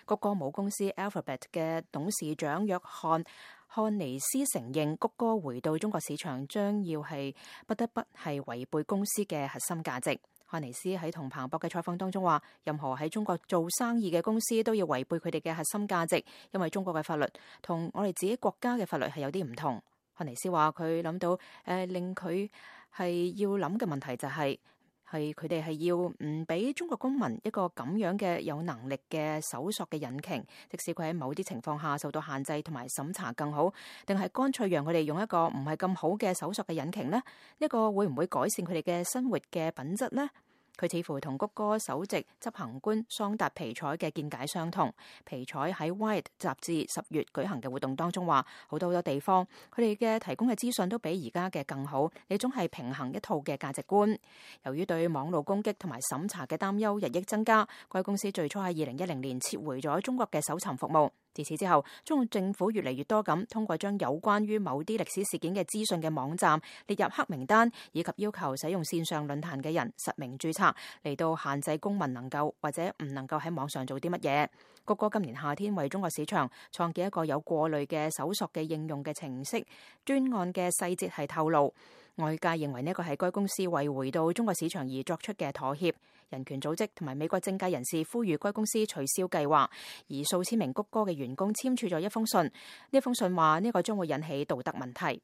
谷歌母公司 Alphabet 嘅董事長約翰漢尼斯承認，谷歌回到中國市場將要不得不違背公司嘅核心價值。漢尼斯喺同彭博嘅採訪當中話，任何喺中國做生意嘅公司都要違背佢哋嘅核心價值，因為中國嘅法律同我哋自己國家嘅法律係有啲唔同。漢尼斯話佢諗到令佢係要諗嘅問題就係佢哋係要唔俾中國公民一個咁樣嘅有能力嘅搜索嘅引擎，即使佢喺某啲情況下受到限制同埋審查更好，定係乾脆讓佢哋用一個唔係咁好嘅搜索嘅引擎呢？呢個會唔會改善佢哋嘅生活嘅品質呢？佢似乎同谷歌首席執行官桑達皮采嘅見解相同。皮采喺 Wired 雜誌10月舉行嘅活動當中話，好多地方佢哋嘅提供嘅資訊都比而家嘅更好，呢種係平衡一套嘅價值觀。由於對網絡攻擊同埋審查嘅擔憂日益增加，該公司最初喺2010年撤回咗中國嘅搜尋服務。自此之後，中國政府越嚟越多咁通過將有關於某啲歷史事件嘅資訊嘅網站列入黑名單，以及要求使用線上論壇嘅人實名註冊，嚟到限制公民能夠或者唔能夠喺網上做啲乜嘢。谷歌今年夏天為中國市場創建一個有過濾嘅搜索嘅應用嘅程式，專案嘅細節係透露。外界認為呢個係該公司為回到中國市場而作出嘅妥協。人權組織同埋美國政界人士呼籲該公司取消計劃，而數千名谷歌嘅員工簽署咗一封信。呢封信話呢個將會引起道德問題。